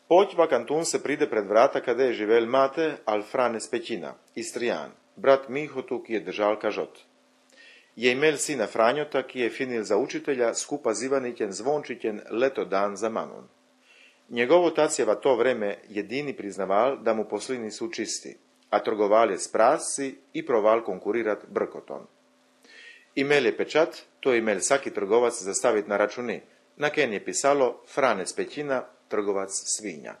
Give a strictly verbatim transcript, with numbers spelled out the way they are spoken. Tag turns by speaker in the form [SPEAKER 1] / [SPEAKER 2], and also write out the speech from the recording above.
[SPEAKER 1] Poć vakantun se pride pred vrata kada je živel mate al Frane Spećina, Istrijan, brat Mihotu, ki je držal kažot. Je imel sina Franjota, ki je finil za učitelja, skupa z Ivanićem Zvončićem leto dan za manun. Njegov otac je v to vreme jedini priznaval, da mu posli nisu čisti, a trgoval je s prasci i proval konkurirat brkotom. Imel je pečat, to je imel vsaki trgovac zastaviti na računi, na ken je pisalo Frane Spećina, trgovac svinja.